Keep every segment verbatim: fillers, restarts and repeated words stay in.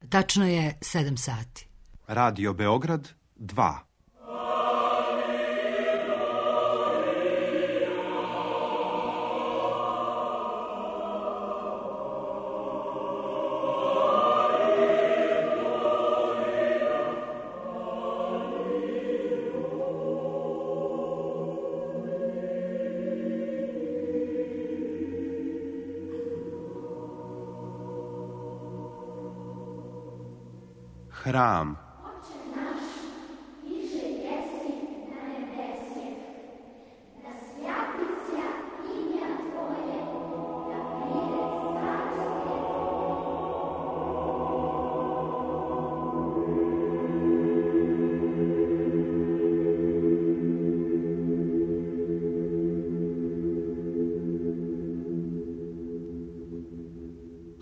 Tačno je sedam sati. Radio Beograd dva. Hram.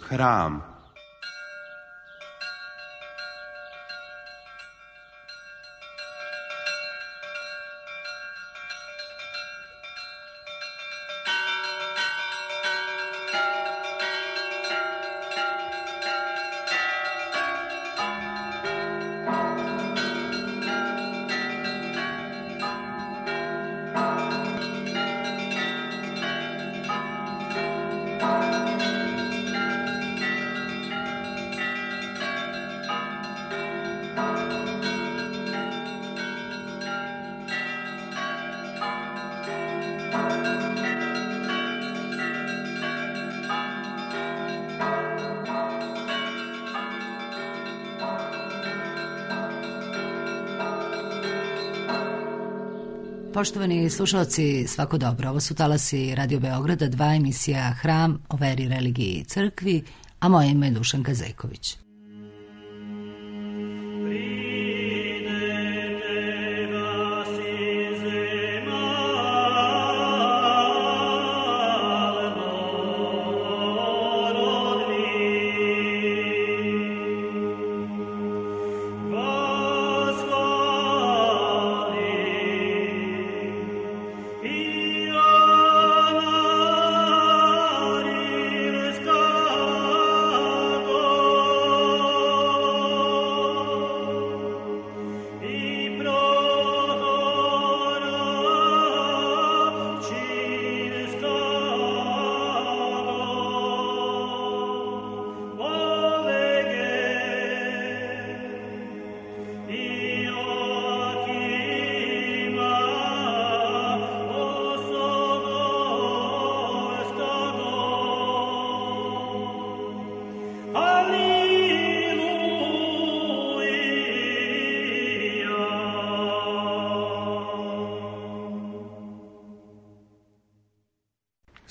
Hram. Poštovani slušalci, svako dobro. Ovo su talasi Radio Beograda, dva, emisija Hram o veri, religiji i crkvi, a moje ime je Dušanka Zejković.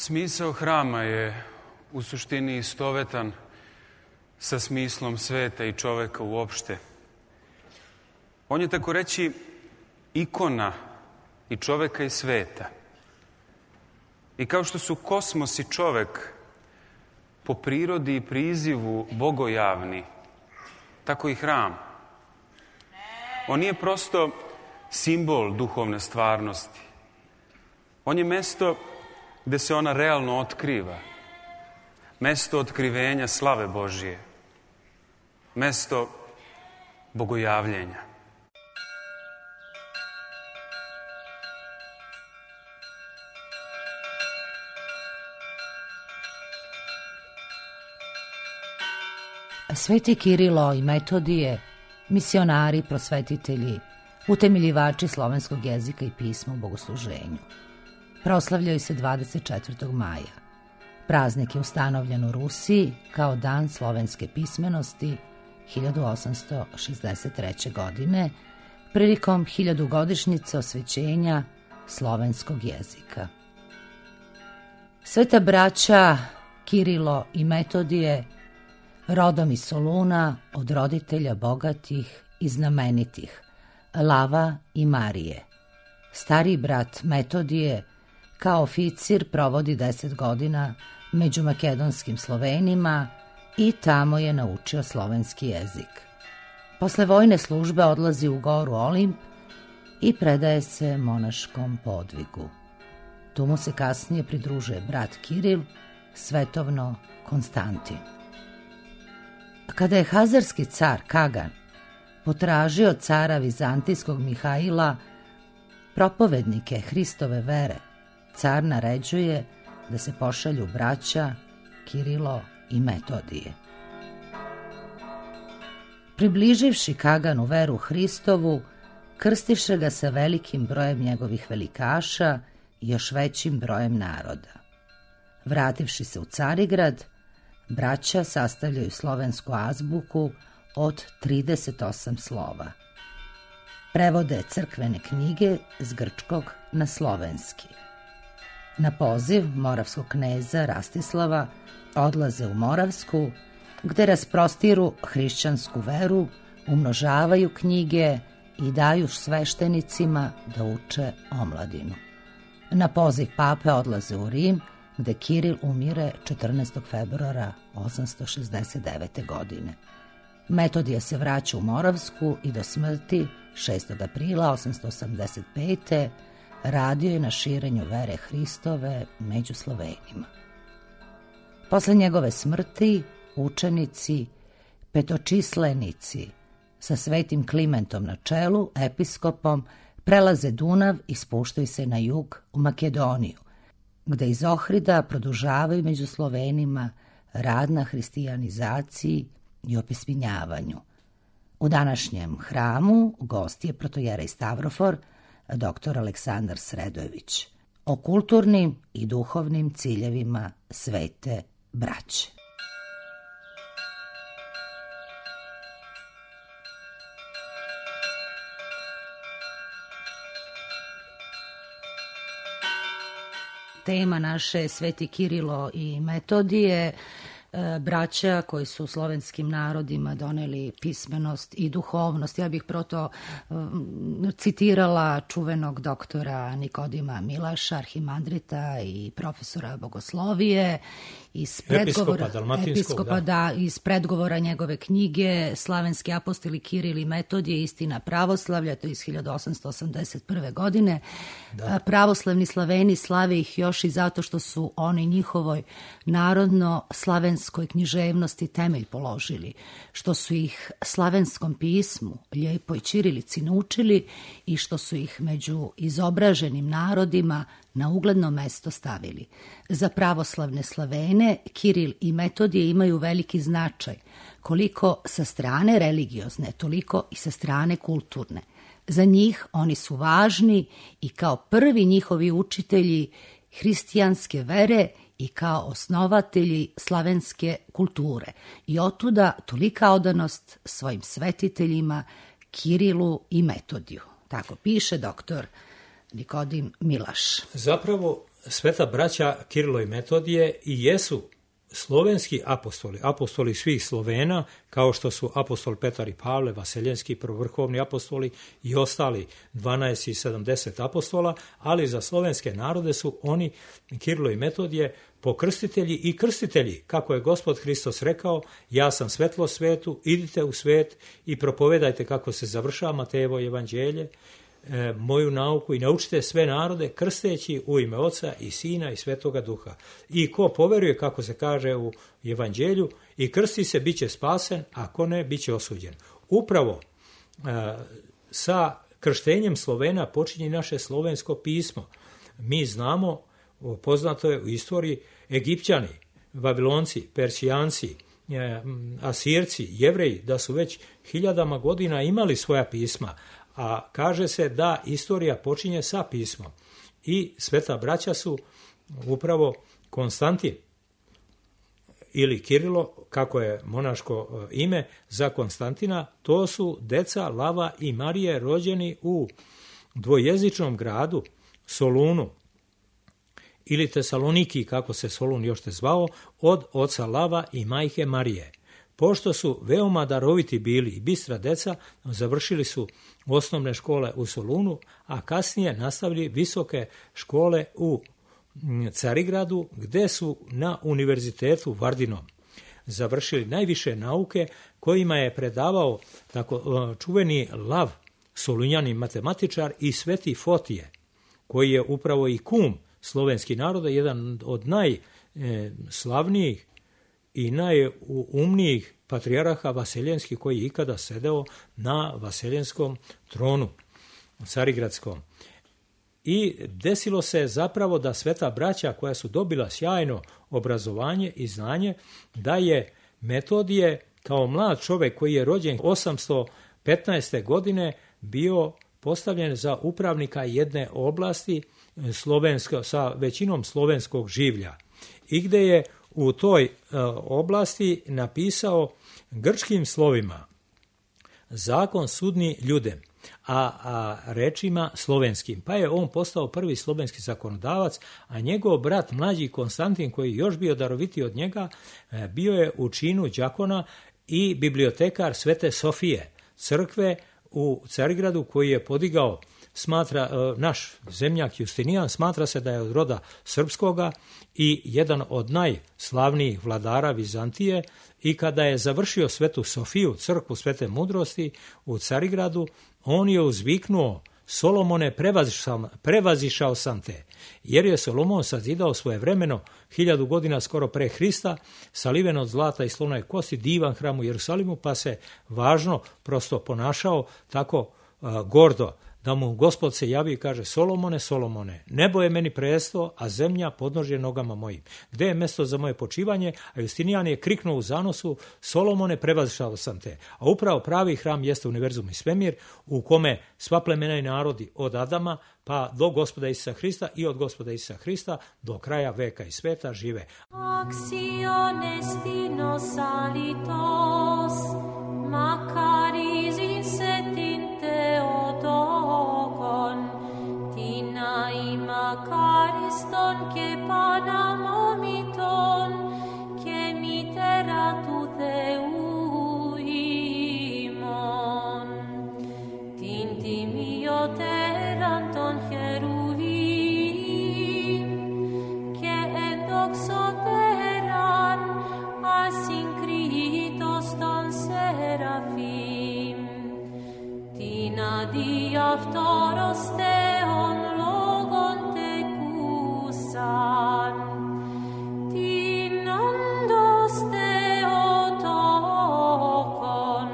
Smisao hrama je u suštini istovetan sa smislom sveta i čoveka uopšte. On je, tako reći, ikona i čoveka i sveta. I kao što su kosmos i čovek po prirodi i prizivu bogojavni, tako i hram. On nije prosto simbol duhovne stvarnosti. On je mesto gde se ona realno otkriva. Mesto otkrivenja slave Božije. Mesto bogojavljenja. Sveti Kirilo i Metodije, misionari, prosvetitelji, utemeljivači slovenskog jezika i pisma u bogosluženju. Proslavljaju se dvadeset četvrtog maja. Praznik je ustanovljen u Rusiji kao Dan slovenske pismenosti hiljadu osamsto šezdeset treće. godine prilikom hiljadugodišnjice osvećenja slovenskog jezika. Sveta braća Kirilo i Metodije, rodom iz Soluna, od roditelja bogatih i znamenitih, Lava i Marije. Stariji brat Metodije kao oficir provodi deset godina među makedonskim Slovenima i tamo je naučio slovenski jezik. Posle vojne službe odlazi u goru Olimp i predaje se monaškom podvigu. Tu mu se kasnije pridružuje brat Kiril, svetovno Konstantin. Kada je hazarski car Kagan potražio cara vizantijskog Mihaila propovednike Hristove vere, car naređuje da se pošalju braća Kirilo i Metodije. Približivši Kaganu veru Hristovu, krstiše ga sa velikim brojem njegovih velikaša i još većim brojem naroda. Vrativši se u Carigrad, braća sastavljaju slovensku azbuku od trideset osam slova. Prevode crkvene knjige s grčkog na slovenski. Na poziv moravskog kneza Rastislava odlaze u Moravsku, gde rasprostiru hrišćansku veru, umnožavaju knjige i daju sveštenicima da uče omladinu. Na poziv pape odlaze u Rim, gde Kiril umire četrnaestog februara osamsto šezdeset devete. godine. Metodije se vraća u Moravsku i do smrti šestog aprila osamsto osamdeset pete. radio je na širenju vere Hristove među Slovenima. Posle njegove smrti učenici, petočislenici sa svetim Klimentom na čelu, episkopom, prelaze Dunav i spuštaju se na jug u Makedoniju, gde iz Ohrida produžavaju među Slovenima rad na hristijanizaciji i opismenjavanju. U današnjem hramu gost je protojerej Stavrofor, doktor Aleksandar Sredojević, o kulturnim i duhovnim ciljevima svete braće. Tema naše je Sveti Kirilo i Metodije, braća koji su slovenskim narodima doneli pismenost i duhovnost. Ja bih proto citirala čuvenog doktora Nikodima Milaša, arhimandrita i profesora bogoslovije, iz predgovora, episkopa, da, iz predgovora njegove knjige Slavenski apostoli Kiril i Metodije, istina pravoslavlja, to je iz hiljadu osamsto osamdeset prve. godine. Da. Pravoslavni Slaveni slave ih još i zato što su oni njihovoj narodno-slavenskoj književnosti temelj položili, što su ih slavenskom pismu, lijepoj ćirilici naučili i što su ih među izobraženim narodima na ugledno mesto stavili. Za pravoslavne Slavene Kiril i Metodije imaju veliki značaj, koliko sa strane religiozne, toliko i sa strane kulturne. Za njih oni su važni i kao prvi njihovi učitelji hristijanske vere i kao osnovatelji slavenske kulture. I otuda tolika odanost svojim svetiteljima Kirilu i Metodiju. Tako piše doktor Nikodim Milaš. Zapravo, sveta braća Kirilo i Metodije i jesu slovenski apostoli, apostoli svih Slovena, kao što su apostol Petar i Pavle, vaseljenski prvovrhovni apostoli i ostali dvanaest i sedamdeset apostola, ali za slovenske narode su oni, Kirilo i Metodije, pokrstitelji i krstitelji, kako je Gospod Hristos rekao, ja sam svetlo svetu, idite u svet i propovedajte, kako se završava Matejevo evanđelje, moju nauku i naučite sve narode krsteći u ime Oca i Sina i Svetoga Duha. I ko poveruje, kako se kaže u evanđelju, i krsti se, bit će spasen, a ko ne, bit će osuđen. Upravo sa krštenjem Slovena počinje naše slovensko pismo. Mi znamo, poznato je u istoriji, Egipćani, Vavilonci, Persijanci, Asirci, Jevreji, da su već hiljadama godina imali svoja pisma, a kaže se da istorija počinje sa pismom. I sveta braća su upravo Konstantin ili Kirilo, kako je monaško ime za Konstantina, to su deca Lava i Marije rođeni u dvojezičnom gradu Solunu ili Tesaloniki, kako se Solun još te zvao, od oca Lava i majke Marije. Pošto su veoma daroviti bili i bistra deca, završili su osnovne škole u Solunu, a kasnije nastavili visoke škole u Carigradu, gde su na univerzitetu Vardinom završili najviše nauke, kojima je predavao tako čuveni Lav, solunjani matematičar, i sveti Fotije, koji je upravo i kum slovenski naroda, jedan od najslavnijih i najumnijih patrijaraha vaseljenskih koji je ikada sedeo na vaseljenskom tronu, carigradskom. I desilo se zapravo da sveta braća koja su dobila sjajno obrazovanje i znanje, da je Metodije kao mlad čovjek koji je rođen osamsto petnaeste. godine bio postavljen za upravnika jedne oblasti slovensko, sa većinom slovenskog življa i gdje je u toj e, oblasti napisao grčkim slovima zakon sudni ljudem, a, a rečima slovenskim. Pa je on postao prvi slovenski zakonodavac, a njegov brat mlađi Konstantin, koji je još bio darovitiji od njega, e, bio je u činu đakona i bibliotekar Svete Sofije, crkve u Carigradu koji je podigao, smatra, naš zemljak Justinijan, smatra se da je od roda srpskoga i jedan od najslavnijih vladara Vizantije, i kada je završio Svetu Sofiju, crkvu Svete mudrosti u Carigradu, on je uzviknuo: Solomone, prevazišao, prevazišao sam te, jer je Solomon sazidao svojevremeno, hiljadu godina skoro pre Hrista, saliven od zlata i slonove kosti, divan hram u Jerusalimu, pa se važno prosto ponašao tako uh, gordo, da mu Gospod se javi i kaže: Solomone, Solomone, nebo je meni presto, a zemlja podnožje nogama mojim. Gde je mesto za moje počivanje? A Justinijan je kriknuo u zanosu: Solomone, prevazišao sam te. A upravo pravi hram jeste univerzum i svemir, u kome sva plemena i narodi od Adama pa do Gospoda Isusa Hrista i od Gospoda Isusa Hrista do kraja veka i sveta žive. Acciones dinos alitos, macaris insetinte odokon, tina imacariston che panamomiton, che mitera tu theuimon, tinti mio teranton cheruvim, che endoxoteran asincritos ton serafim, tina diaftoros teon logon tecusan, tinondos teotokon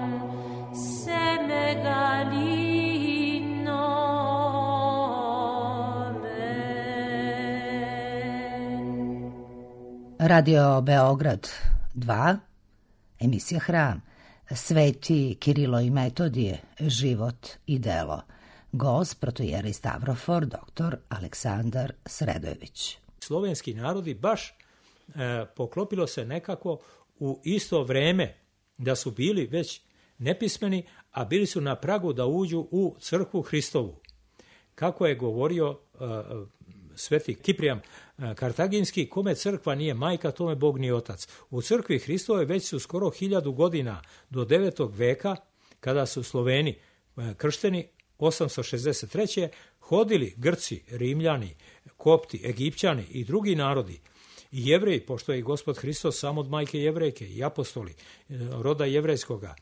semegalinomen. Radio Beograd dva, emisija Hram, Sveti Kirilo i Metodije, život i delo. Gost protojeri Stavrofor, doktor Aleksandar Sredojević. Slovenski narodi baš e, poklopilo se nekako u isto vreme da su bili već nepismeni, a bili su na pragu da uđu u crkvu Hristovu. Kako je govorio e, sveti Kiprijan Kartaginski, kome crkva nije majka, tome Bog nije otac. U crkvi Hristove već su skoro hiljadu godina do devetog veka, kada su Sloveni kršteni, osamsto šezdeset treće hodili Grci, Rimljani, Kopti, Egipćani i drugi narodi, i Jevreji, pošto je i Gospod Hristos sam od majke Jevrejke i apostoli roda jevrejskoga,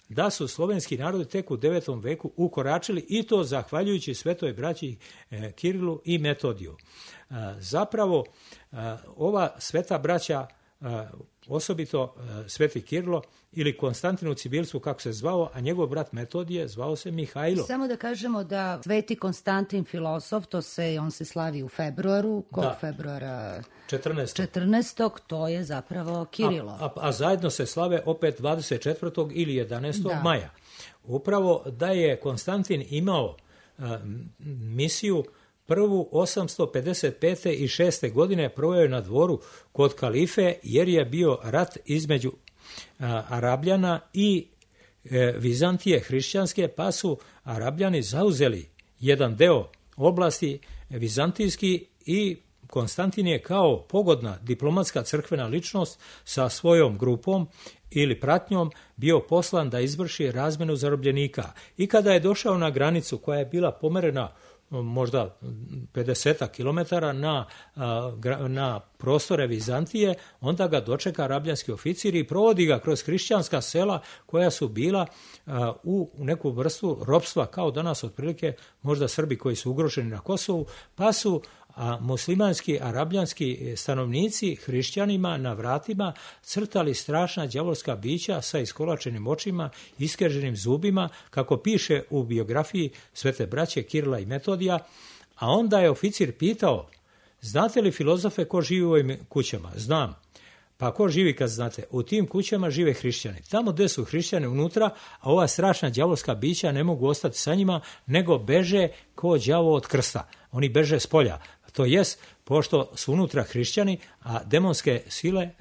da su slovenski narodi tek u devetom veku ukoračili, i to zahvaljujući svetoj braći Kirilu i Metodiju. Zapravo, ova sveta braća, osobito sveti Kirilo ili Konstantin u Cibilstvu, kako se zvao, a njegov brat Metodije zvao se Mihajlo. Samo da kažemo da sveti Konstantin filosof, to se, on se slavi u februaru, kog da. februara? četrnaestog. četrnaestog, to je zapravo Kirilo. A, a, a zajedno se slave opet dvadeset četvrtog ili jedanaestog Da. maja. Upravo da je Konstantin imao a, misiju prvu osamsto pedeset pete i šeste godine proveo je na dvoru kod kalife, jer je bio rat između a, Arabljana i e, Vizantije hrišćanske, pa su Arabljani zauzeli jedan deo oblasti vizantijski, i Konstantin je kao pogodna diplomatska crkvena ličnost sa svojom grupom ili pratnjom bio poslan da izvrši razmenu zarobljenika. I kada je došao na granicu koja je bila pomerena možda pedeset kilometara na, na prostore Vizantije, onda ga dočeka arabljanski oficir i provodi ga kroz hrišćanska sela koja su bila u neku vrstu ropstva, kao danas otprilike možda Srbi koji su ugroženi na Kosovu, pa su a muslimanski, arabljanski stanovnici hrišćanima na vratima crtali strašna đavolska bića sa iskolačenim očima, iskrženim zubima, kako piše u biografiji Svete braće Kirila i Metodija, a onda je oficir pitao: znate li filozofe ko živi u ovim kućama? Znam. Pa ko živi kad znate? U tim kućama žive hrišćani. Tamo gdje su hrišćani unutra, a ova strašna đavolska bića ne mogu ostati sa njima, nego beže ko đavo od krsta. Oni beže s polja. To jest, pošto su unutra hrišćani, a demonske sile, e,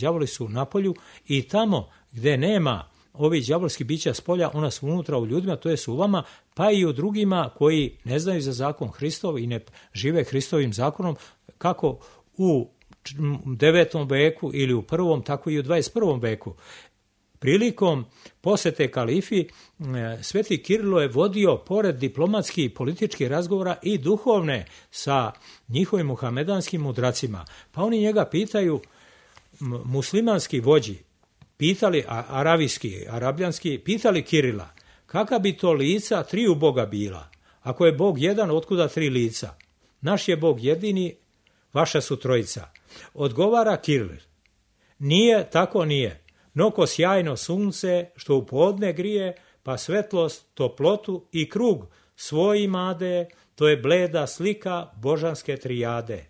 đavoli su na polju, i tamo gdje nema ovih đavolskih bića s polja, ona su unutra u ljudima, to je u vama, pa i u drugima koji ne znaju za zakon Hristov i ne žive Hristovim zakonom, kako u devetom veku ili u prvom, tako i u dvadeset prvom veku. Prilikom posete kalifi, Sveti Kirilo je vodio pored diplomatskih i političkih razgovora i duhovne sa njihovim muhamedanskim mudracima. Pa oni njega pitaju, muslimanski vođi, pitali, aravijski, arabljanski, pitali Kirila, kakva bi to lica triju Boga bila? Ako je Bog jedan, otkuda tri lica? Naš je Bog jedini, vaša su trojica. Odgovara Kiril: nije, tako nije. No ko sjajno sunce, što u podne grije, pa svetlost, toplotu i krug svoj imade, to je bleda slika božanske trijade.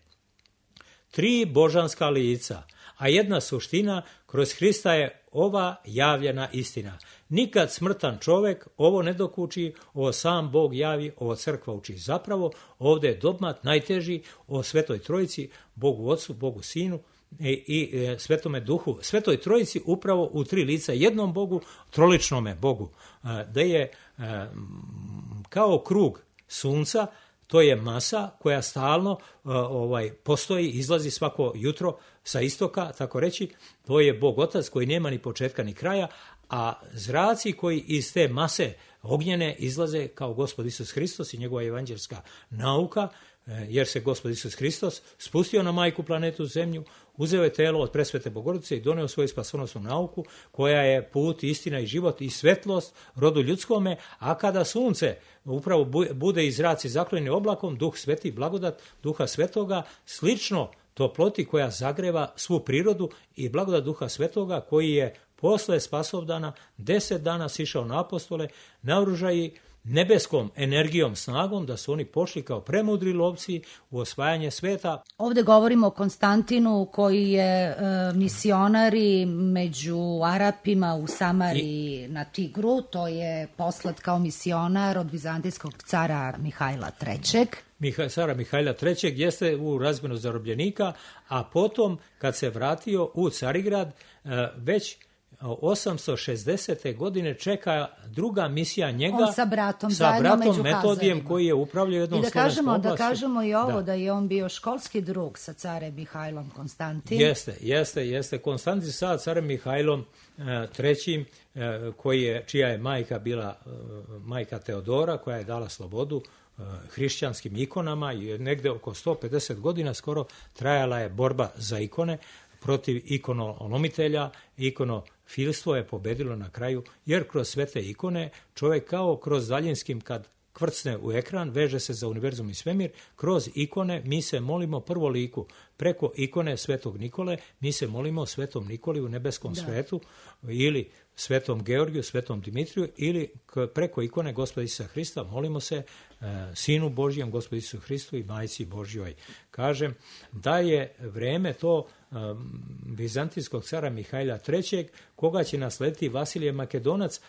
Tri božanska lica, a jedna suština, kroz Hrista je ova javljena istina. Nikad smrtan čovjek ovo ne dokuči, ovo sam Bog javi, ovo crkva uči. Zapravo ovdje je dogmat najteži o Svetoj Trojici, Bogu Otcu, Bogu Sinu i, i e, Svetome Duhu. Svetoj Trojici upravo u tri lica, jednom Bogu, troličnome Bogu. E, da je e, kao krug sunca, to je masa koja stalno uh, ovaj, postoji, izlazi svako jutro sa istoka, tako reći. To je Bog Otac koji nema ni početka ni kraja, a zraci koji iz te mase ognjene izlaze kao Gospod Isus Hristos i njegova evanđelska nauka, jer se Gospod Isus Hristos spustio na majku planetu Zemlju, uzeo je telo od presvete Bogorodice i doneo svoju spasonosnu nauku, koja je put, istina i život i svetlost rodu ljudskome, a kada sunce upravo bude i zraci zakloni oblakom, Duh Sveti, blagodat Duha Svetoga, slično toploti koja zagreva svu prirodu, i blagodat Duha Svetoga koji je posle spasovdana deset dana sišao na apostole, naoružaji nebeskom energijom, snagom, da su oni pošli kao premudri lovci u osvajanje sveta. Ovdje govorimo o Konstantinu koji je e, misionar i među Arapima u Samariji I... na Tigru. To je poslat kao misionar od vizantijskog cara Mihajla trećeg. Miha, cara Mihajla trećeg jeste u razmjenu zarobljenika, a potom kad se vratio u Carigrad, e, već osamsto šezdesete godine čeka druga misija njega. On sa bratom, sa bratom Metodijem koji je upravljao jednom I da kažemo, oblasti. da kažemo i ovo, da. da je on bio školski drug sa carem Mihajlom Konstantinom. Jeste, jeste, jeste. Konstantin sa carem Mihajlom e, trećim, e, koji je, čija je majka bila e, majka Teodora, koja je dala slobodu e, hrišćanskim ikonama, i negde oko sto pedeset godina skoro trajala je borba za ikone protiv ikonolomitelja. Ikonofilstvo je pobedilo na kraju, jer kroz svete ikone čovjek kao kroz daljinskim kad kvrcne u ekran, veže se za univerzum i svemir, kroz ikone mi se molimo prvo liku. Preko ikone Svetog Nikole mi se molimo Svetom Nikoli u nebeskom da. svetu, ili Svetom Georgiju, Svetom Dimitriju, ili preko ikone Gospoda Isusa Hrista molimo se e, Sinu Božjem, Gospodu Isusu Hristu i Majci Božjoj. Kažem da je vreme to e, vizantijskog cara Mihajla trećeg, koga će naslediti Vasilije Makedonac.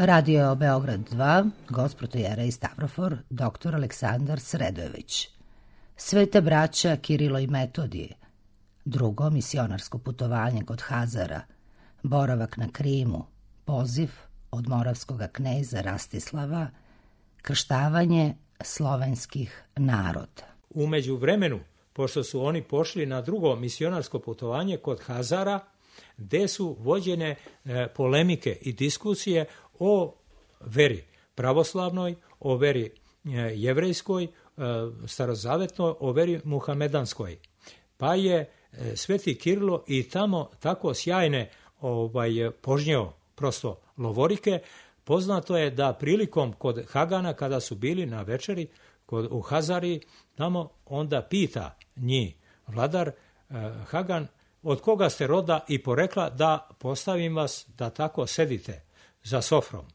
Radio Beograd dva, Gospodojera Stavrofor, doktor Aleksandar Sredojević. Sveta braća Kirilo i Metodije. Drugo misionarsko putovanje kod Hazara. Boravak na Krimu. Poziv od moravskog kneza Rastislava. Krštavanje slovenskih naroda. Umeđu vremenu, pošto su oni pošli na drugo misionarsko putovanje kod Hazara, gde su vođene e, polemike i diskusije o veri pravoslavnoj, o veri e, jevrejskoj, e, starozavetnoj, o veri muhamedanskoj. Pa je e, sveti Kirilo i tamo tako sjajne ovaj, požnjeo prosto lovorike. Poznato je da prilikom kod Hagana, kada su bili na večeri kod, u Hazari, tamo onda pita njih vladar e, Hagan, od koga ste roda i porekla da postavim vas da tako sedite za sofrom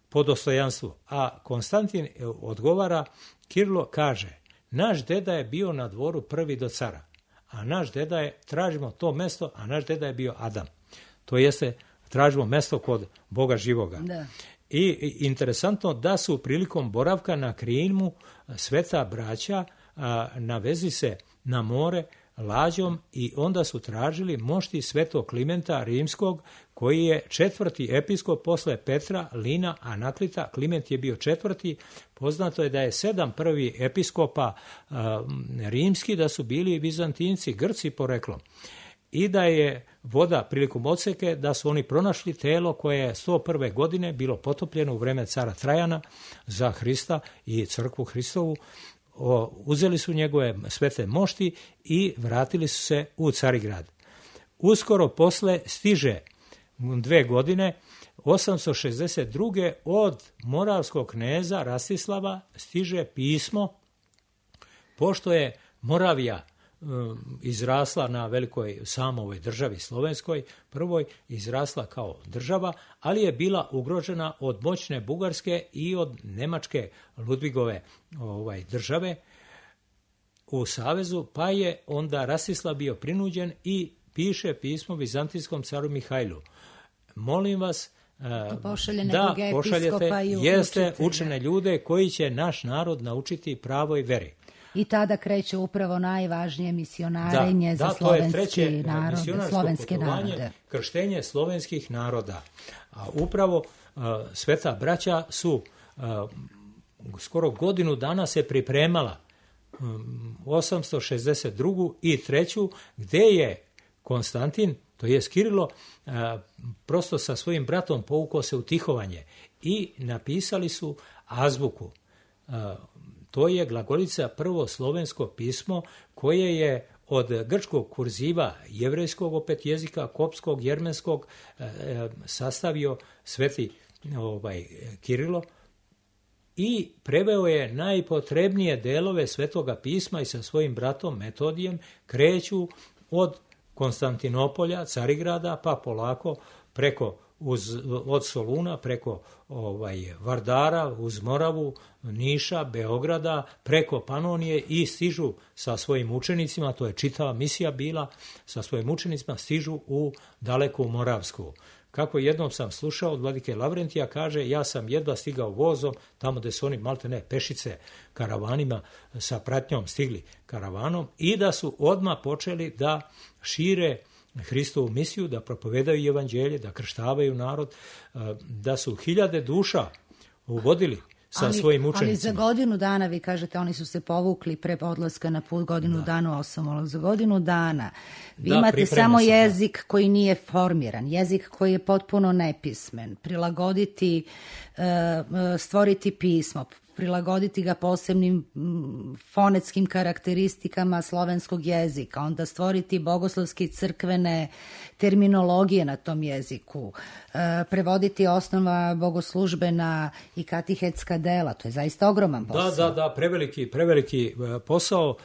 po dostojanstvu. A Konstantin odgovara, Kirilo kaže, naš deda je bio na dvoru prvi do cara, a naš deda je, tražimo to mesto, a naš deda je bio Adam. To jeste, tražimo mesto kod Boga živoga. Da. I interesantno da su prilikom boravka na Krimu sveta braća a, navezi se na more lađom i onda su tražili mošti svetog Klimenta Rimskog, koji je četvrti episkop posle Petra, Lina, Anaklita. Kliment je bio četvrti. Poznato je da je sedam prvi episkopa a, rimski, da su bili Vizantinci, Grci poreklom. I da je voda prilikom odseke, da su oni pronašli telo koje je sto prve godine bilo potopljeno u vreme cara Trajana za Hrista i crkvu Hristovu. O, uzeli su njegove svete mošti i vratili su se u Carigrad. Uskoro posle stiže dve godine, osamsto šezdeset druge od moravskog kneza Rastislava stiže pismo, pošto je Moravija izrasla na velikoj samovoj državi slovenskoj, prvoj izrasla kao država, ali je bila ugrožena od moćne Bugarske i od nemačke Ludvigove ovaj, države u savezu, pa je onda Rastislav bio prinuđen i piše pismo vizantijskom caru Mihajlu. Molim vas da pošaljete jeste učene ljude koji će naš narod naučiti pravoj veri. I tada kreće upravo najvažnije misionarenje da, za da, slovenski narod, slovenske narode. Krštenje slovenskih naroda. A upravo a, sveta braća su a, skoro godinu dana se pripremala um, osamsto šezdeset drugu i treću, gde je Konstantin, to je Kirilo, a, prosto sa svojim bratom povukao se u tihovanje i napisali su azbuku. A, To je glagolica, prvo slovensko pismo koje je od grčkog kurziva, jevrejskog opet jezika, kopskog, jermenskog e, sastavio sveti ovaj, Kirilo i preveo je najpotrebnije delove svetoga pisma i sa svojim bratom Metodijem kreću od Konstantinopolja, Carigrada, pa polako preko Uz, od Soluna preko ovaj, Vardara, uz Moravu, Niša, Beograda, preko Panonije i stižu sa svojim učenicima, to je čitava misija bila, sa svojim učenicima stižu u daleku Moravsku. Kako jednom sam slušao od vladike Lavrentija, kaže, ja sam jedva stigao vozom, tamo gde su oni malte ne pešice karavanima sa pratnjom stigli karavanom i da su odmah počeli da šire Hristovu misiju, da propovedaju evanđelje, da krštavaju narod, da su hiljade duša uvodili sa ali, svojim učenicima. Ali za godinu dana, vi kažete, oni su se povukli pre odlaska na put, godinu da. dana osam, za godinu dana vi da, imate samo jezik da. koji nije formiran, jezik koji je potpuno nepismen, prilagoditi, stvoriti pismo, prilagoditi ga posebnim fonetskim karakteristikama slovenskog jezika, onda stvoriti bogoslovske crkvene terminologije na tom jeziku, prevoditi osnova bogoslužbena i katehetska dela, to je zaista ogroman posao. Da, da, da, preveliki, preveliki posao.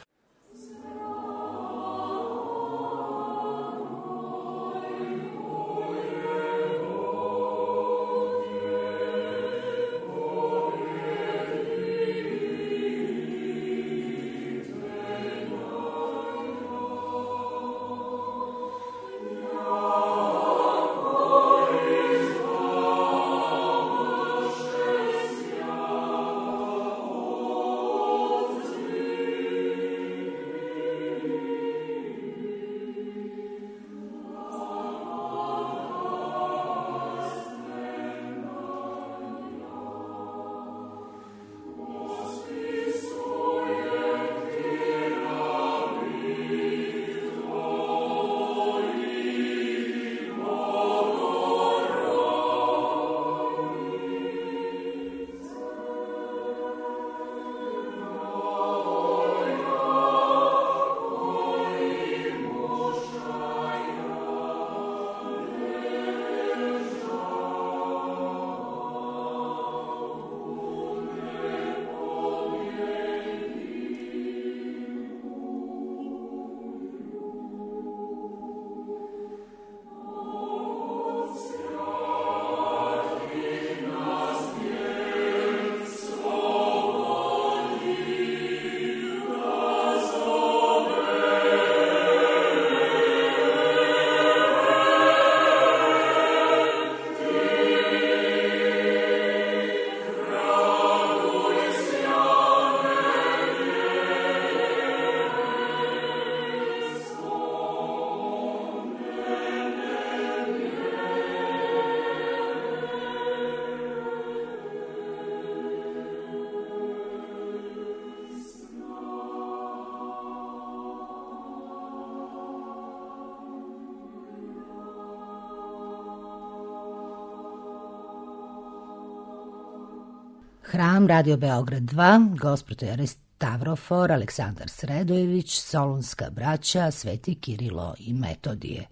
Hram, Radio Beograd dva, Gospodar Stavrofor, Aleksandar Sredojević, Solunska braća, Sveti Kirilo i Metodije.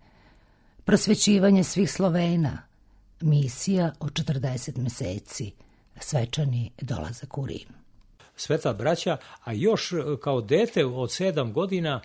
Prosvećivanje svih Slovena, misija od četrdeset meseci, svečani dolazak u Rim. Sveta braća, a još kao dete od sedam godina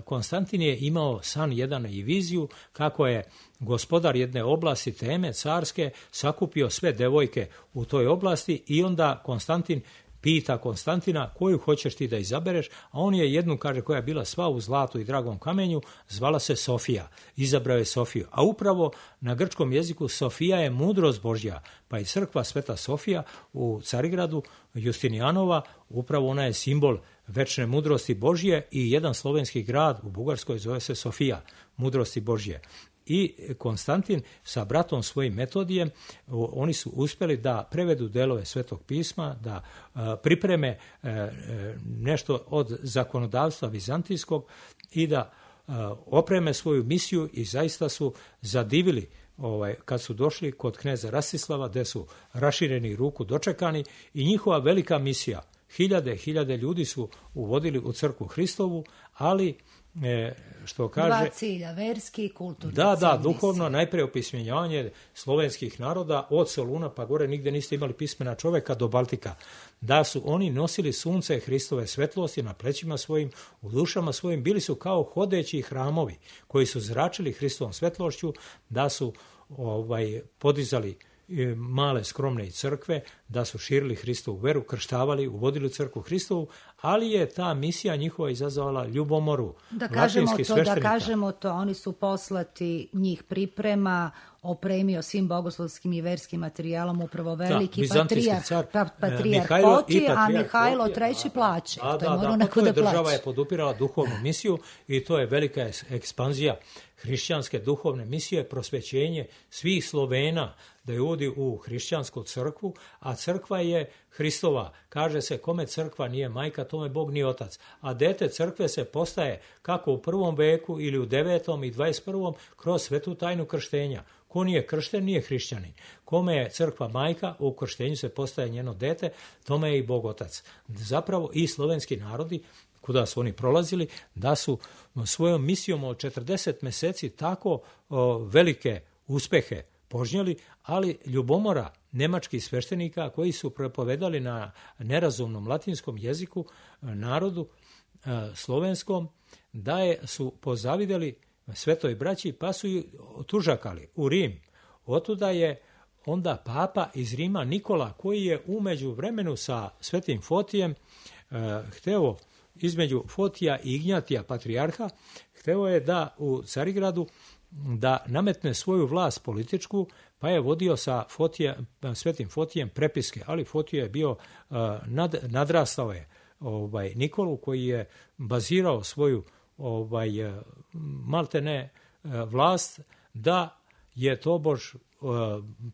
Konstantin je imao san jedan i viziju kako je gospodar jedne oblasti teme carske sakupio sve devojke u toj oblasti i onda Konstantin pita Konstantina koju hoćeš ti da izabereš, a on je jednu, kaže, koja je bila sva u zlatu i dragom kamenju, zvala se Sofija. Izabrao je Sofiju. A upravo na grčkom jeziku Sofija je mudrost Božja, pa i crkva Sveta Sofija u Carigradu Justinijanova, upravo ona je simbol večne mudrosti Božje i jedan slovenski grad u Bugarskoj zove se Sofija, mudrosti Božje. I Konstantin sa bratom svojim Metodijem, oni su uspjeli da prevedu delove Svetog pisma, da pripreme nešto od zakonodavstva vizantijskog i da opreme svoju misiju i zaista su zadivili ovaj, kad su došli kod kneza Rastislava, gde su rašireni ruku dočekani i njihova velika misija. Hiljade, hiljade ljudi su uvodili u crkvu Hristovu, ali E, što kaže, dva cilja, verski i kulturni. Da, da, duhovno, najpre opismenjavanje slovenskih naroda od Soluna pa gore, nigde niste imali pismena čoveka do Baltika. Da su oni nosili sunce Hristove svetlosti na plećima svojim, u dušama svojim, bili su kao hodeći hramovi koji su zračili Hristovom svetlošću, da su ovaj, podizali male skromne crkve, da su širili Hristovu veru, krštavali, uvodili u crkvu Hristovu, ali je ta misija njihova izazvala ljubomoru. Da kažemo to, da kažemo to, oni su poslati, njih priprema, opremio svim bogoslovskim i verskim materijalom upravo veliki da, patrijarh, car, pa, patrijarh Fotije, a Mihajlo treći plaće. A, to je da, morao da, neko da plaće. Država je podupirala duhovnu misiju i to je velika ekspanzija hrišćanske duhovne misije, prosvećenje svih Slovena da je uvodi u hrišćansku crkvu, a crkva je Hristova. Kaže se kome crkva nije majka, tome Bog nije otac. A dete crkve se postaje kako u prvom veku ili u devetom i dvadeset prvom kroz svetu tajnu krštenja. Ko nije kršten, nije hrišćanin. Kome je crkva majka, u krštenju se postaje njeno dete, tome je i Bog otac. Zapravo i slovenski narodi, kuda su oni prolazili, da su svojom misijom od četrdeset meseci tako o, velike uspehe požnjeli, ali ljubomora nemačkih sveštenika koji su propovedali na nerazumnom latinskom jeziku narodu e, slovenskom, da je, su pozavideli Svetoj braći pa su ju tužakali u Rim. Otuda je onda papa iz Rima Nikola, koji je umeđu vremenu sa Svetim Fotijem e, hteo između Fotija i Ignjatija patrijarha, hteo je da u Carigradu da nametne svoju vlast političku, pa je vodio sa Fotija, Svetim Fotijem prepiske, ali Fotije je bio uh, nad, nadrastao je ovaj, Nikolu, koji je bazirao svoju ovaj, maltene uh, vlast da je tobož uh,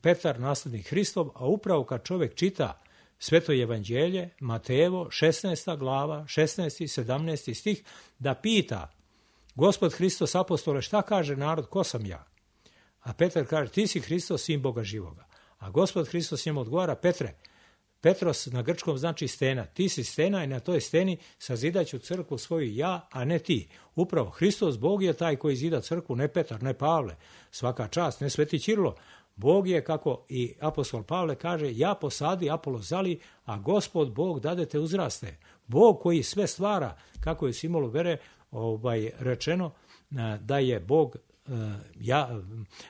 Petar naslednik Hristov, a upravo kad čovjek čita Sveto evanđelje, Matejevo, šesnaesta glava, šesnaesti, sedamnaesti stih, da pita Gospod Hristos apostole, šta kaže narod, ko sam ja? A Petar kaže, ti si Hristos, sin Boga živoga. A Gospod Hristos njemu odgovara, Petre, Petros na grčkom znači stena, ti si stena i na toj steni sazidaću crkvu svoju ja, a ne ti. Upravo Hristos, Bog je taj koji zida crkvu, ne Petar, ne Pavle, svaka čast, ne Sveti Ćirilo. Bog je, kako i apostol Pavle kaže, ja posadi, Apolo zali, a Gospod Bog dadete uzraste. Bog koji sve stvara, kako je simbolu vere ovaj, rečeno, da je Bog, ja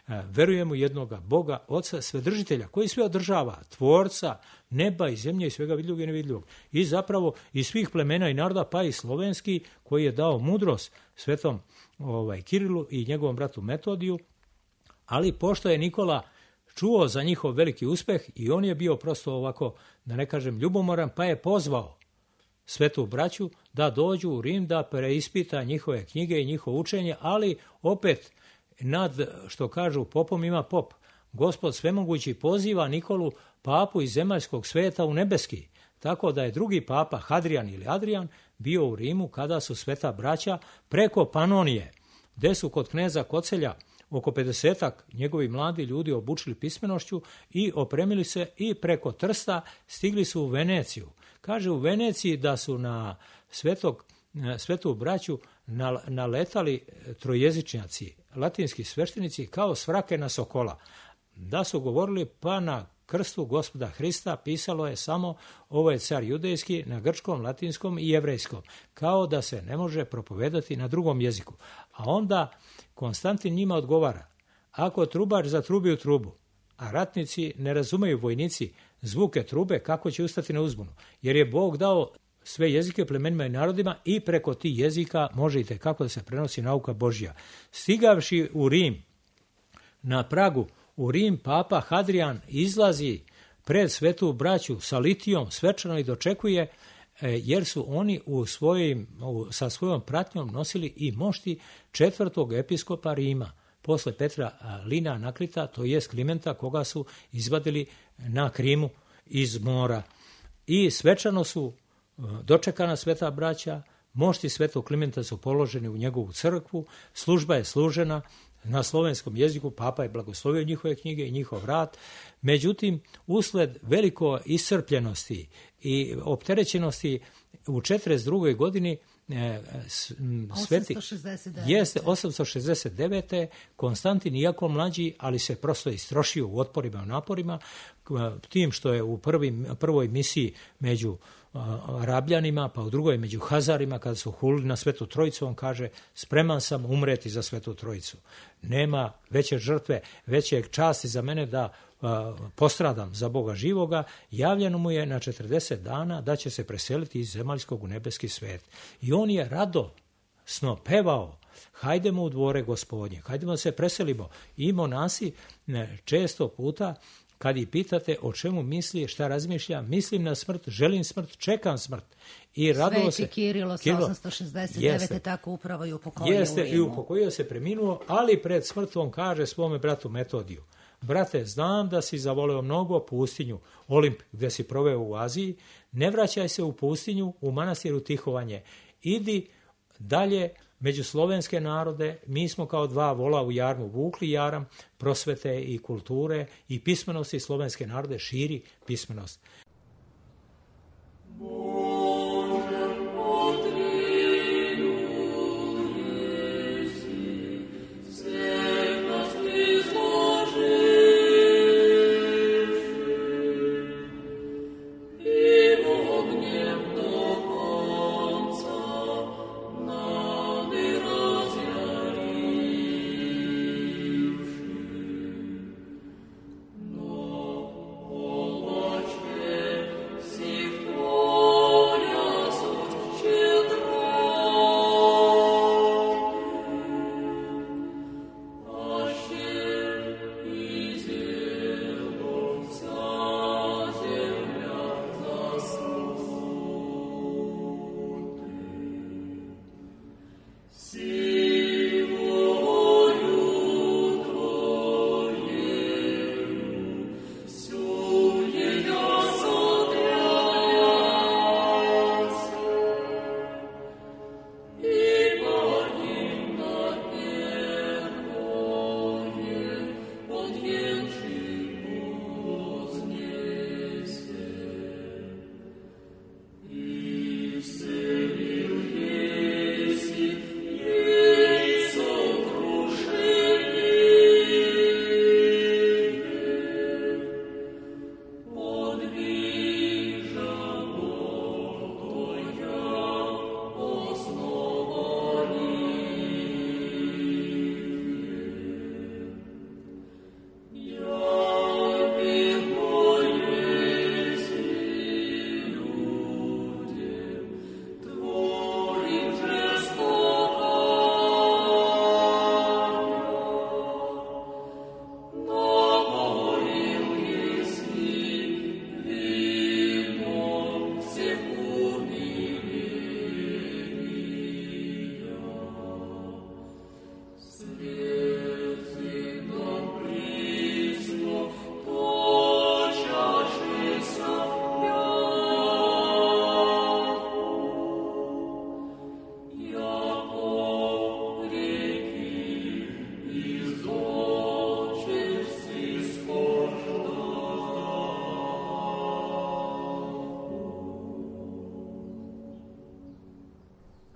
verujem u jednoga Boga, Oca, Svedržitelja, koji sve održava, tvorca neba i zemlje i svega vidljivog i nevidljivog. I zapravo iz svih plemena i naroda, pa i slovenski, koji je dao mudrost svetom ovaj, Kirilu i njegovom bratu Metodiju, ali pošto je Nikola čuo za njihov veliki uspeh i on je bio prosto ovako, da ne kažem ljubomoran, pa je pozvao svetu braću da dođu u Rim da preispita njihove knjige i njihovo učenje, ali opet nad, što kažu popom ima pop. Gospod svemogući poziva Nikolu, papu iz zemaljskog sveta, u nebeski. Tako da je drugi papa, Hadrian ili Adrian, bio u Rimu kada su sveta braća preko Panonije, gde su kod kneza Kocelja oko pedesetak njegovi mladi ljudi obučili pismenošću i opremili se i preko Trsta stigli su u Veneciju. Kaže u Veneciji da su na svetog, svetu braću naletali trojezičnjaci, latinski sveštenici kao svrake na sokola. Da su govorili pa na krstu Gospoda Hrista pisalo je samo ovo je car judejski na grčkom, latinskom i jevrejskom, kao da se ne može propovedati na drugom jeziku. A onda Konstantin njima odgovara, ako trubač zatrubi u trubu, a ratnici ne razumeju vojnici zvuke trube, kako će ustati na uzbunu? Jer je Bog dao sve jezike plemenima i narodima i preko tih jezika može i tekako da se prenosi nauka Božja. Stigavši u Rim, na pragu u Rim, papa Hadrian izlazi pred svetu braću sa litijom svečano i dočekuje, jer su oni u svojim, u, sa svojom pratnjom nosili i mošti četvrtog episkopa Rima, posle Petra Lina Anaklita, to jest Klimenta, koga su izvadili na Krimu iz mora. I svečano su dočekana sveta braća, mošti svetog Klimenta su položeni u njegovu crkvu, služba je služena na slovenskom jeziku, papa je blagoslovio njihove knjige i njihov rad. Međutim, usled veliko iscrpljenosti i opterećenosti u četrdeset drugoj godini sveti, jeste osamsto šezdeset devete Konstantin, iako mlađi, ali se prosto istrošio u otporima i naporima, tim što je u prvim, prvoj misiji među Arabljanima, pa u drugoj među Hazarima, kada su hulili na Svetu Trojicu, on kaže, spreman sam umreti za Svetu Trojicu. Nema veće žrtve, veće časti za mene da a, postradam za Boga živoga. Javljeno mu je na četrdeset dana da će se preseliti iz zemaljskog u nebeski svet. I on je radosno pevao, hajdemo u dvore Gospodnje, hajdemo da se preselimo. I monasi ne, često puta kad ih pitate o čemu misli, šta razmišlja, mislim na smrt, želim smrt, čekam smrt. I radilo se. Sveti Kirilo sa osamsto šezdeset devete jeste, tako upravo i upokojio jeste, u Rimu. i upokojio se, preminuo, ali pred smrtvom kaže svome bratu Metodiju, brate, znam da si zavoleo mnogo pustinju, Olimp gdje si proveo u Aziji, ne vraćaj se u pustinju, u manastiru Tihovanje, idi dalje među slovenske narode, mi smo kao dva vola u jarmu vukli jaram prosvete i kulture i pismenosti slovenske narode, širi pismenost. No,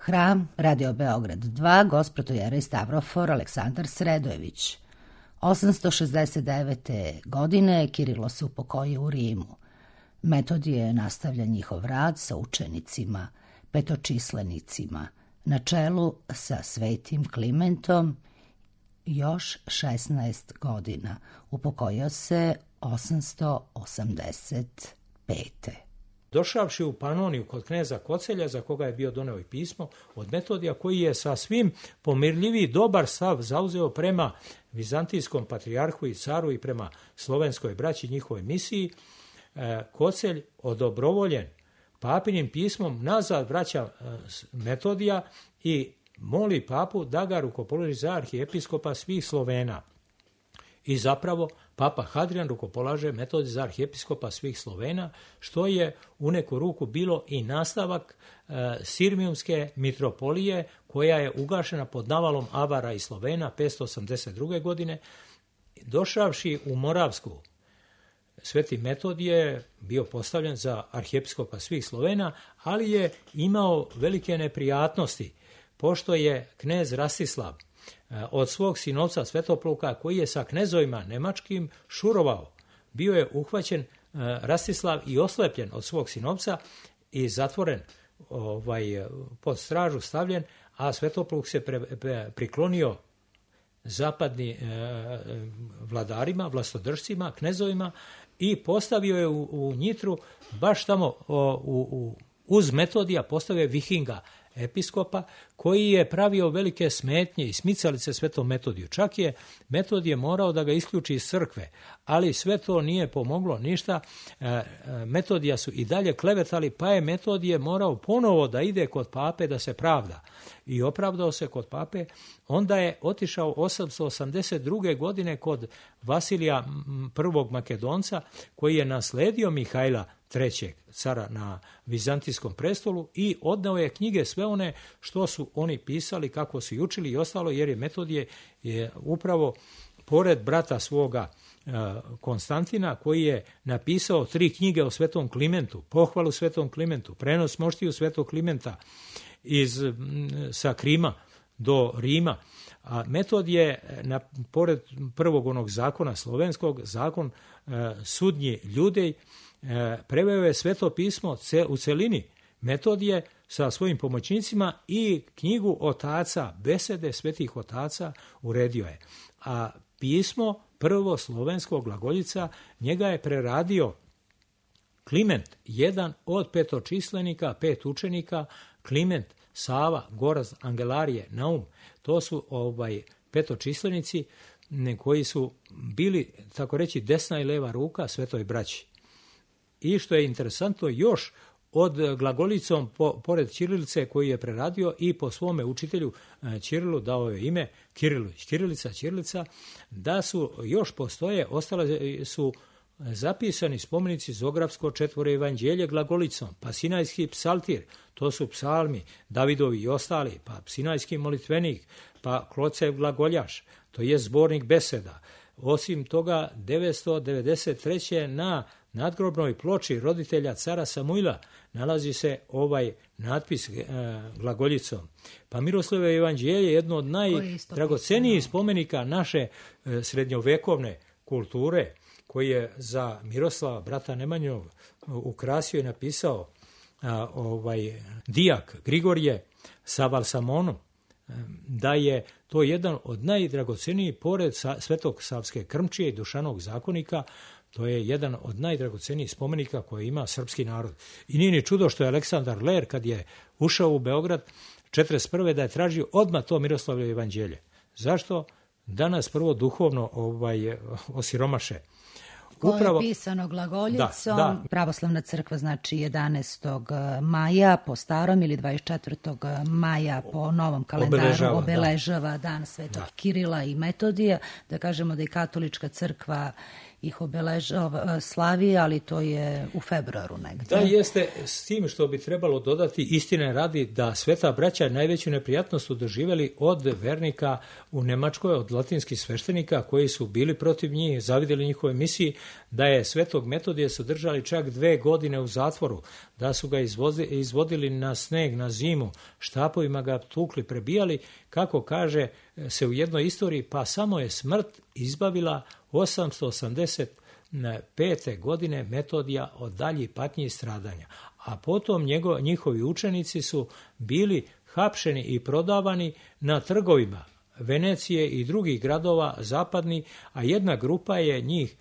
Hram, Radio Beograd dva, Gospodojerej Stavrofor Aleksandar Sredojević. osamsto šezdeset devete. godine Kirilo se upokojio u Rimu. Metodije nastavlja njihov rad sa učenicima, petočislenicima, na čelu sa svetim Klimentom još šesnaest godina. Upokojio se osamsto osamdeset pete. Došavši u Panoniju kod kneza Kocelja, za koga je bio doneo i pismo od Metodija, koji je sa svim pomirljiviji dobar stav zauzeo prema vizantijskom patrijarhu i caru i prema slovenskoj braći njihovoj misiji, Kocelj odobrovoljen papinim pismom nazad vraća Metodija i moli papu da ga rukopoloži za arhijepiskopa svih Slovena. I zapravo papa Hadrian rukopolaže Metodija za arhijepiskopa svih Slovena, što je u neku ruku bilo i nastavak e, Sirmijumske mitropolije, koja je ugašena pod navalom Avara i Slovena petsto osamdeset druge. godine. Došavši u Moravsku, Sveti Metodije je bio postavljen za arhijepiskopa svih Slovena, ali je imao velike neprijatnosti, pošto je knez Rastislav od svog sinovca Svetopluka, koji je sa knezovima nemačkim šurovao, bio je uhvaćen Rastislav i oslepljen od svog sinovca i zatvoren, ovaj, pod stražu stavljen, a Svetopluk se pre, pre, priklonio zapadni e, vladarima, vlastodržcima, knezovima i postavio je u, u Njitru, baš tamo o, u, u, uz Metodija, postavio je Vihinga, episkopa, koji je pravio velike smetnje i smicalice Svetom Metodiju. Čak je Metodije morao da ga isključi iz crkve, ali sve to nije pomoglo ništa. Metodija su i dalje klevetali, pa je Metodije morao ponovo da ide kod pape da se pravda. I opravdao se kod pape. Onda je otišao osamsto osamdeset druge. godine kod Vasilija prvog Makedonca, koji je nasledio Mihajla trećeg cara na vizantijskom prestolu, i odneo je knjige sve one što su oni pisali, kako su i učili i ostalo, jer je Metodije je upravo pored brata svoga Konstantina, koji je napisao tri knjige o Svetom Klimentu, pohvalu Svetom Klimentu, prenos moštiju Svetog Klimenta iz, sa Krima do Rima. A Metodije, na, pored prvog onog zakona slovenskog, zakon e, sudnji Ljudej, e, preveo je Sveto pismo ce, u celini. Metodije sa svojim pomoćnicima i knjigu otaca, besede svetih otaca uredio je. A pismo prvo slovenskog glagoljica, njega je preradio Kliment, jedan od petočislenika, pet učenika, Kliment, Sava, Gorazd, Angelarije, Naum. To su ovaj petočislenici koji su bili, tako reći, desna i leva ruka Svetoj braći. I što je interesantno, još od glagolicom, po, pored ćirilice koju je preradio, i po svome učitelju Ćirilu dao je ime Kirilović, Kirilica, Ćirilica, da su još postoje, ostale su zapisani spomenici Zografsko četvoro evanđelje glagolicom, pa Sinajski psaltir, to su psalmi Davidovi i ostali, pa Sinajski molitvenik, pa Klocev glagoljaš, to je zbornik beseda. Osim toga, devetsto devedeset treće. na nadgrobnoj ploči roditelja cara Samuila nalazi se ovaj natpis e, glagoljicom. Pa Miroslavljevo evanđelje je jedno od najdragocenijih spomenika naše e, srednjovekovne kulture, koji je za Miroslava, brata Nemanjov, ukrasio i napisao a, ovaj dijak Grigorije sa Valsamonom, da je to jedan od najdragocenijih, pored Svetog Savske krmčije i Dušanog zakonika, to je jedan od najdragocenijih spomenika koje ima srpski narod. I nije ni čudo što je Aleksandar Ler, kad je ušao u Beograd četrdeset prve. da je tražio odmah to Miroslavljevo evanđelje. Zašto? Danas prvo duhovno ovaj, osiromaše. Koje upravo je pisano glagoljicom. Da, da. Pravoslavna crkva, znači jedanaestog maja po starom ili dvadeset četvrtog maja po novom kalendaru obeležava, obeležava da. dan Svetog da. Kirila i Metodija. Da kažemo da i katolička crkva ih obeležava, slavi, ali to je u februaru negde. Da, jeste, s tim što bi trebalo dodati, istine radi da sveta braća najveću neprijatnost su doživjeli od vernika u Nemačkoj, od latinskih sveštenika koji su bili protiv njih, zavidjeli njihove misiji, da je svetog Metodija su držali čak dve godine u zatvoru, da su ga izvozi, izvodili na sneg, na zimu, štapovima ga tukli, prebijali, kako kaže se u jednoj istoriji, pa samo je smrt izbavila osamsto osamdeset pete. godine Metodija od daljih patnji i stradanja. A potom njego, njihovi učenici su bili hapšeni i prodavani na trgovima Venecije i drugih gradova zapadni, a jedna grupa je njih,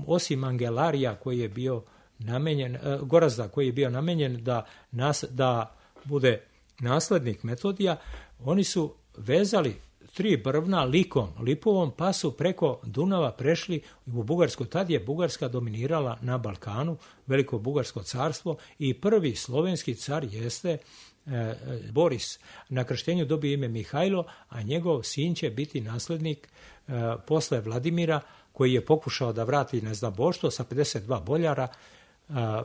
osim Angelarija koji je bio namenjen, Gorazda koji je bio namenjen da, nas, da bude naslednik Metodija, oni su vezali tri brvna likom, lipovom, pa su preko Dunava prešli u Bugarsku. Tad je Bugarska dominirala na Balkanu, Veliko Bugarsko carstvo, i prvi slovenski car jeste e, Boris. Na krštenju dobio ime Mihajlo, a njegov sin će biti naslednik e, posle Vladimira, koji je pokušao da vrati neznaboštvo sa pedeset dva boljara. A,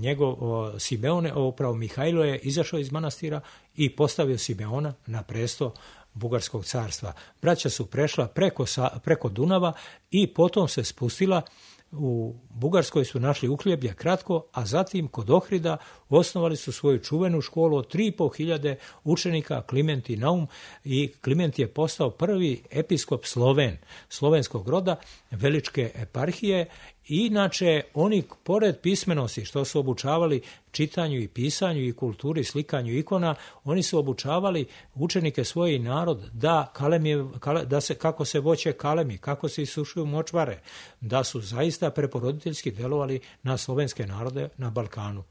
njegov o, Simeone, upravo Mihajlo je izašao iz manastira i postavio Simeona na presto Bugarskog carstva. Braća su prešla preko, preko Dunava i potom se spustila. U Bugarskoj su našli uhljeblje kratko, a zatim kod Ohrida osnovali su svoju čuvenu školu od tri i po hiljade učenika, Kliment i Naum, i Kliment je postao prvi episkop Sloven, slovenskog roda, Veličke eparhije. Inače, oni pored pismenosti što su obučavali čitanju i pisanju i kulturi, slikanju ikona, oni su obučavali učenike svoje i narod da, kalemije, da se, kako se voće kalemi, kako se isušuju močvare, da su zaista preporoditeljski delovali na slovenske narode na Balkanu.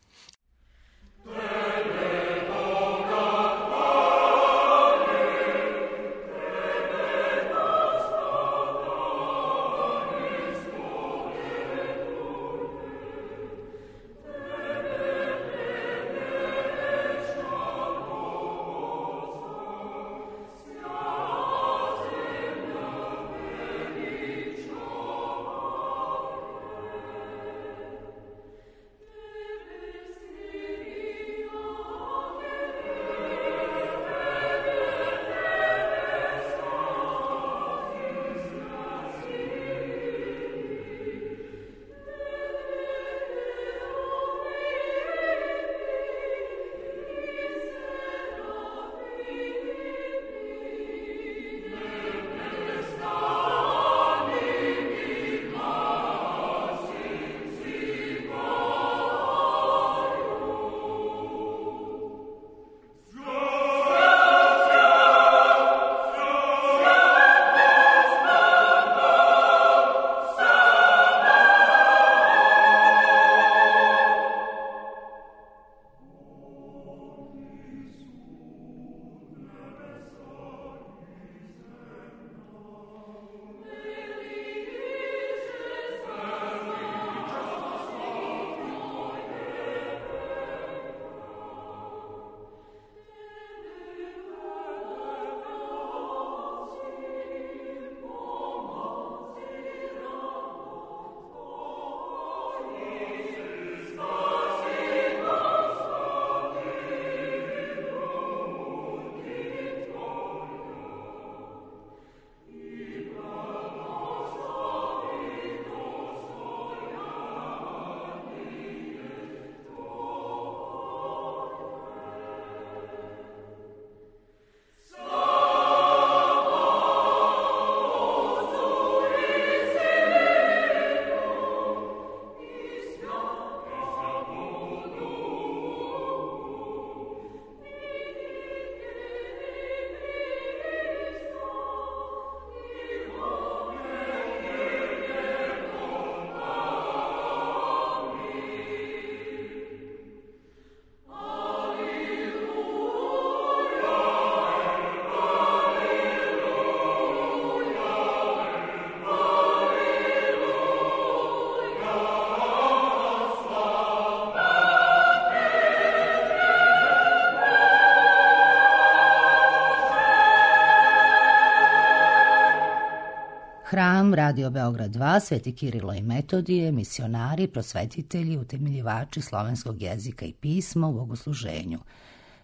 Hram, Radio Beograd dva, Sveti Kirilo i Metodije, misionari, prosvetitelji, utemeljivači slovenskog jezika i pisma u bogosluženju.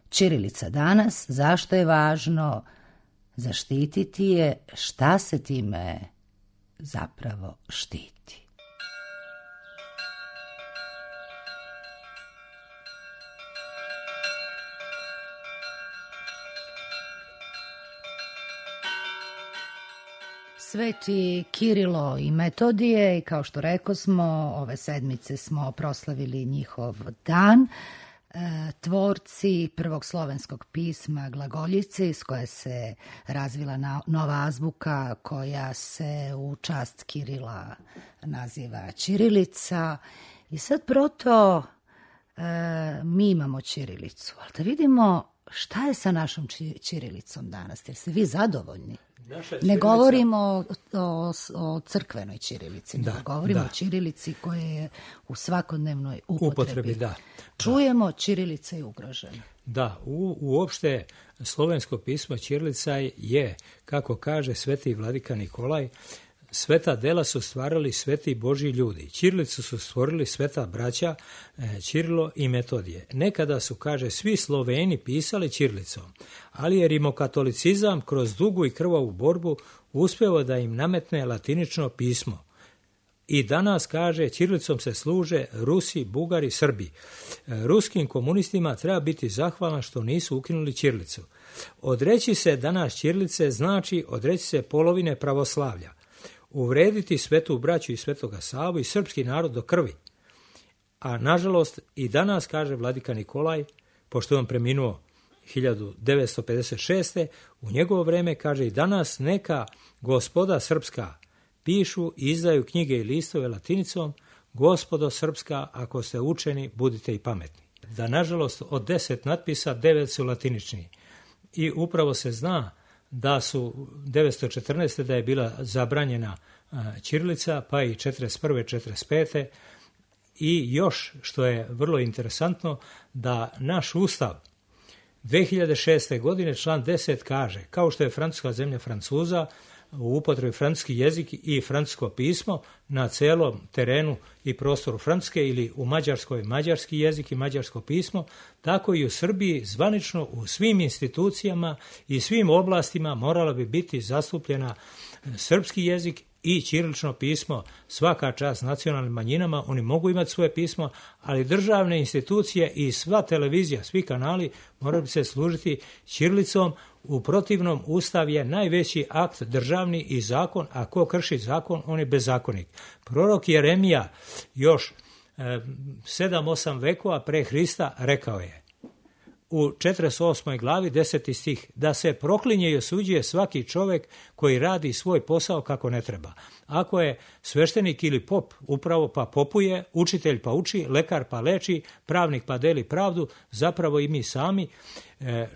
Ćirilica danas, zašto je važno zaštititi je, šta se time zapravo štiti? Sveti Kirilo i Metodije, i kao što reko smo, ove sedmice smo proslavili njihov dan, e, tvorci prvog slovenskog pisma glagoljice, iz koje se razvila na, nova azbuka koja se u čast Kirila naziva ćirilica. I sad proto e, mi imamo ćirilicu, ali da vidimo šta je sa našom ćirilicom danas, jer ste vi zadovoljni? Ne govorimo o, o, o crkvenoj ćirilici, da, ne govorimo da. o ćirilici koja je u svakodnevnoj upotrebi. upotrebi da. Čujemo, ćirilica je ugrožena. Da, u, uopšte slovensko pismo ćirilica je, kako kaže sveti vladika Nikolaj, sveta dela su stvarali sveti Božji ljudi. Ćirilicu su stvorili sveta braća Ćirilo i Metodije. Nekada su, kaže, svi Sloveni pisali ćirilicom, ali je rimokatolicizam kroz dugu i krvavu borbu uspeo da im nametne latinično pismo. I danas, kaže, ćirilicom se služe Rusi, Bugari, Srbi. Ruskim komunistima treba biti zahvalan što nisu ukinuli ćirilicu. Odreći se danas ćirilice znači odreći se polovine pravoslavlja. Uvrediti svetu braću i svetoga Savu i srpski narod do krvi. A nažalost i danas, kaže vladika Nikolaj, pošto je on preminuo hiljadu devetsto pedeset šeste. u njegovo vreme, kaže, i danas neka gospoda srpska pišu i izdaju knjige i listove latinicom, gospodo srpska, ako ste učeni, budite i pametni. Da, nažalost, od deset natpisa, devet su latinični. I upravo se zna da su devetsto četrnaeste. da je bila zabranjena ćirilica, pa i četrdeset prve. četrdeset pete. I još, što je vrlo interesantno, da naš ustav dve hiljade šeste. godine, član deset kaže, kao što je francuska zemlja Francuza, u upotrebi francuski jezik i francusko pismo na celom terenu i prostoru Francuske, ili u Mađarskoj mađarski jezik i mađarsko pismo, tako i u Srbiji zvanično u svim institucijama i svim oblastima morala bi biti zastupljena srpski jezik i ćirilično pismo. Svaka čast nacionalnim manjinama, oni mogu imati svoje pismo, ali državne institucije i sva televizija, svi kanali moraju se služiti ćirilicom. U protivnom, ustav je najveći akt državni i zakon, a ko krši zakon, on je bezakonik. Prorok Jeremija još sedam osam vekova pre Hrista rekao je u četrdeset osmoj glavi, deseti stih, da se proklinje i osuđuje svaki čovjek koji radi svoj posao kako ne treba. Ako je sveštenik ili pop, upravo pa popuje, učitelj pa uči, lekar pa leči, pravnik pa deli pravdu, zapravo i mi sami,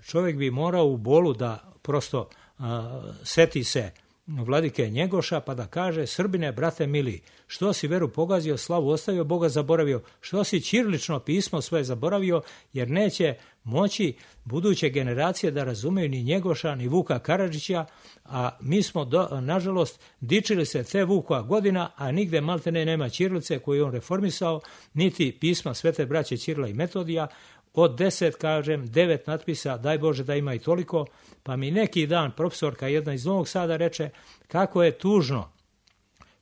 čovjek bi morao u bolu da prosto a, seti se vladike Njegoša pa da kaže, Srbine, brate mili, što si veru pogazio, slavu ostavio, Boga zaboravio, što si ćirilično pismo svoje zaboravio, jer neće moći buduće generacije da razumeju ni Njegoša, ni Vuka Karadžića, a mi smo, do, nažalost, dičili se te Vukova godina, a nigde maltene nema ćirilice koju je on reformisao, niti pisma svete braće Ćirila i Metodija. Od deset, kažem, devet natpisa, daj Bože da ima i toliko, pa mi neki dan profesorka jedna iz Novog Sada reče kako je tužno.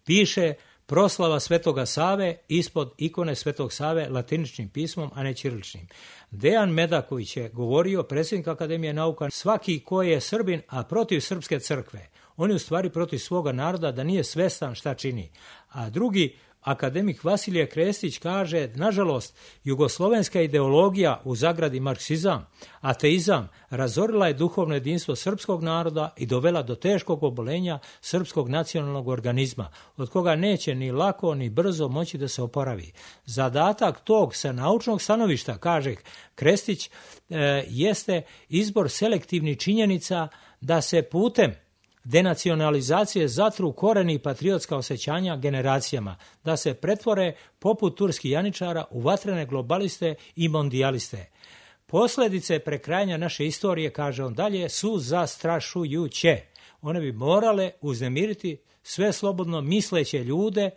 Piše proslava Svetoga Save ispod ikone Svetog Save latiničnim pismom, a ne ćiriličnim. Dejan Medaković je govorio, predsjednik Akademije nauka, svaki ko je Srbin, a protiv srpske crkve, on je u stvari protiv svoga naroda, da nije svestan šta čini. A drugi, akademik Vasilije Krestić, kaže, nažalost, jugoslovenska ideologija, u zagradi marksizam, ateizam, razorila je duhovno jedinstvo srpskog naroda i dovela do teškog obolenja srpskog nacionalnog organizma, od koga neće ni lako ni brzo moći da se oporavi. Zadatak tog sa naučnog stanovišta, kaže Krestić, e, jeste izbor selektivnih činjenica da se putem denacionalizacije zatru koreni patriotska osjećanja generacijama, da se pretvore poput turskih janičara u vatrene globaliste i mondijaliste. Posljedice prekrajanja naše istorije, kaže on dalje, su zastrašujuće. One bi morale uznemiriti sve slobodno misleće ljude.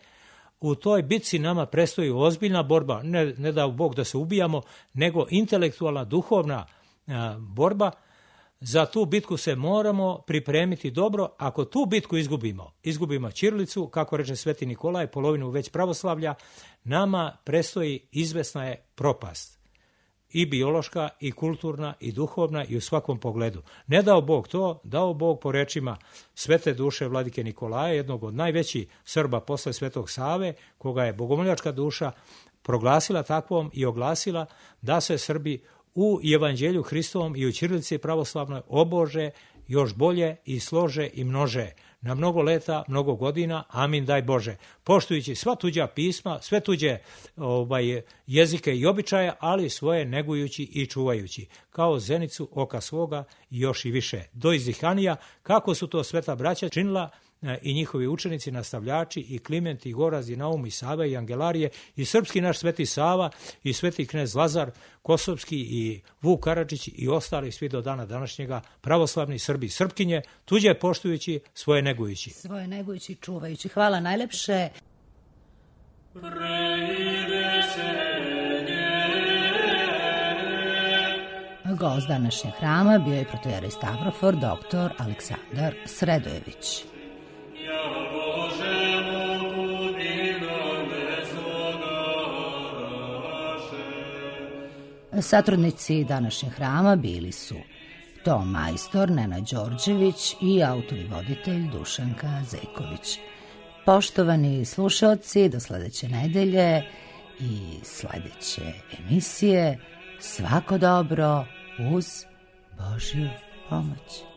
U toj bitci nama predstoji ozbiljna borba, ne, ne dao Bog da se ubijamo, nego intelektualna, duhovna a, borba. Za tu bitku se moramo pripremiti dobro. Ako tu bitku izgubimo, izgubimo ćirilicu, kako reče Sveti Nikolaj, polovinu već pravoslavlja, nama predstoji izvesna je propast. I biološka, i kulturna, i duhovna, i u svakom pogledu. Ne dao Bog to, dao Bog po rečima svete duše vladike Nikolaja, jednog od najvećih Srba posle Svetog Save, koga je bogomoljačka duša proglasila takvom i oglasila da se Srbi u Evanđelju Hristovom i u ćirilici pravoslavnoj obože još bolje i slože i množe. Na mnogo leta, mnogo godina, amin daj Bože. Poštujući sva tuđa pisma, sve tuđe ovaj, jezike i običaje, ali svoje negujući i čuvajući. Kao zenicu oka svoga i još i više. Do izdihanija, kako su to sveta braća činila i njihovi učenici, nastavljači, i Kliment, i Goraz, i Naum, i Sava, i Angelarije, i srpski naš sveti Sava, i sveti knez Lazar Kosovski, i Vuk Karadžić, i ostali svi do dana današnjega, pravoslavni Srbi i Srpkinje, tuđe poštujući, svoje negujući. Svoje negujući, čuvajući. Hvala najlepše. Gost današnjeg hrama bio je protojerej Stavrofor, doktor Aleksandar Sredojević. Satrudnici današnjeg hrama bili su ton majstor Nenad Đorđević i autor i voditelj Dušanka Zejković. Poštovani slušaoci, do sledeće nedelje i sledeće emisije, svako dobro uz Božju pomoć.